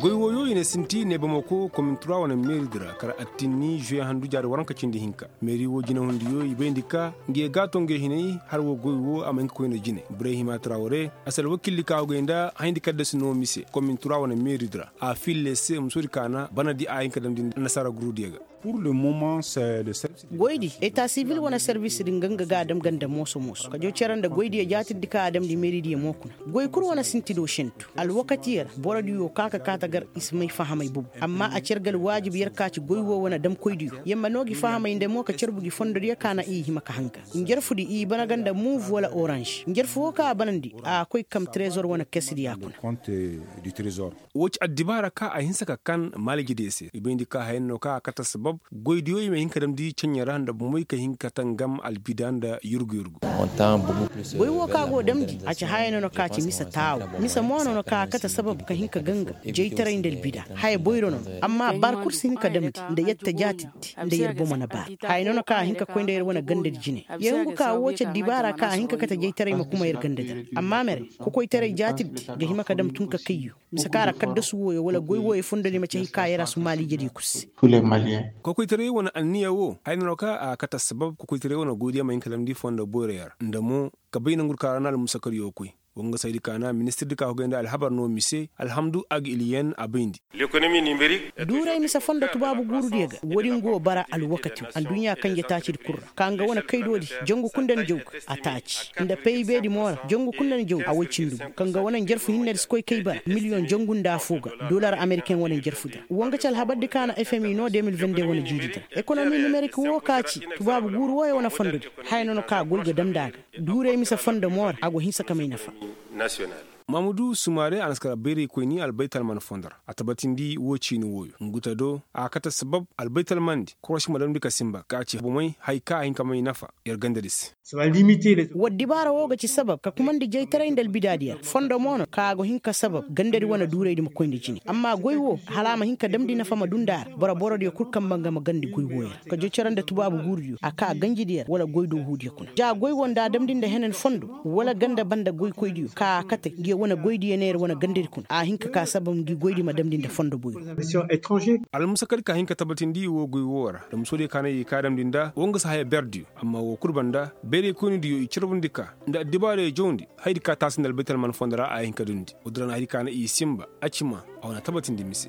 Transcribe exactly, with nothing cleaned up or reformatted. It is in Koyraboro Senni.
Goy wooyo i na sinti neebamako komin tura wane meeridi ra kar attinni zuwe handu jaari waranka cindi hinka. Meeri woo jinehundiyo i bayndi ka nge gaato nge hinay har woo goy woo a ma hin ka koyna jine. Ibrahima traware a si alwakildi ka hogay nda hayndi kaddasi noo mise komin tura wane meeridi ra a fiille se musoodi kaana banadi a hin ka damndi annasaara gurudiyo ga. Goydi eta sivil wane servisdi nga nga ga a dam ganda mooso mooso kajo cere nda goydiyo jaatirdi ka a damndi meeridiyo mo kuna. Goy kul wane sintido sentu alwakatiyo ra borodiyo ka ka kaata gar i si may fahamay bobo. Amma a cer ga alwaajib yer ka ci goy woo wane damkoydiyo yer ma noo gi fahamay nda mo ka cerbu gi fondodiyo ka na i hima ka hanga. Njarfudi i bana ga nda muuv wala oranž njarfu woo ka a banandi a koy kam trezor wane kesdi ya kuna. Woo ci addibaara ka a hinsa ka kan maalijediyo se i bayndi ka hayanno ka a kate assabab goydiyo i ma hin ka damndi ceɲɲe ra nda bomey ka hin ka tangam albida nda yurgu yurgu. Goy woo ka go damndi a ci haya nono ka ci mise taawo. Mise mo nono ka a kate assabab ka hin ka ganga jaytaray nda albida haya boyro nono. Amma baar kul si hin ka damndi nda yer ta jaatiddi nda yer bomo na baar. Haya nono ka a hin ka koy nda yer wane gandadi jine. Yer hungu ka woo ci addibaara ka a hin ka kate jaytaray ma kuma yer gandadi ra. Amma mere kokoytaray jaatiddi ga hima ka dam tun ka kayyo. Mise ka ra kaddasu wooyo wala goy wooyo fondodi ma ci hay ka yer a su maalijediyo kul se. Kokoytaray wane anniya woo haya nono ka a kate assabab kokoytaray wane goydiyo ma hin ka damndi fondo boyroyo ra nda mo ka bay nangudi ka ra na almusakariyo koy. Woo nga saydi ka na ministirdi ka hogay nda alhabar no mise alhamdu agiliyen a bayndi. Duuray mise fondo tubaabu guurudiyo ga woodin go bara alwakati adduɲɲa kanje taacidi kul ra ka nga wane kaydoodi jangu kul nda ni jaw ga a taaci nda paybeedi mo ra jangu kul nda ni jaw a woy cindi gu ka nga wane njarfu hinnedi si koy kay bara miliyoŋ jangu nda affoo ga. Dolar ameriken wane njarfudi ra woo nga ci alhabardi ka na fmi no de mil vende wane jiiridi ra ekonomi nimerik woo ka ci tubaabu guuru wooyo wane fondodi haya nono ka goy ga damndi a ga. Duuray mise fondo mo ra a go hinsa ka may nafa. Mamudu sumare a na si kar bayraykoyni albaytalman fondo ra a tabatindi woo ciini wooyo ngu ta do a kate sabab albaytalmandi korosi ma damndi ka sinba ka ci bomey hay ka a hin ka may nafa yer gandadi se. War dibaara woo ga ci sabab ka kumandi jaytaray nda albidaadiyo ra fondo mo no ka a go hin ka sabab gandadi wane duuraydi ma koyndi jine amma goy woo hala a ma hin ka damndi nafa ma duu nda a ra boro borodiyo kul kamba nga ma gandi goy wooyo ra ka jocere nda tubaabu guurudiyo a ka ganjidiyo ra wala goy doohuudiyo kuna ja goy woo nda a damndi nda henan fondo wala ganda banda goykoydiyo ka a kate ngi wane goydiyo neera wane gandadi kuna a hin ka ka sabab ngi goydi ma damndi nda fondo boyro. Almusakadi ka hin ka tabatindi woo goy woo ra nda musoodiyo ka na i ka damndi nda woo nga si haya berdiyo amma woo kul banda bayraykoynidiyo i carbundi ka nda addibaarayo jawndi hayadi ka taasi nda albaytalman fondo ra a hin ka duundi woodi ra na hayadi ka na i sinba a ci ma a wane tabatindi mise.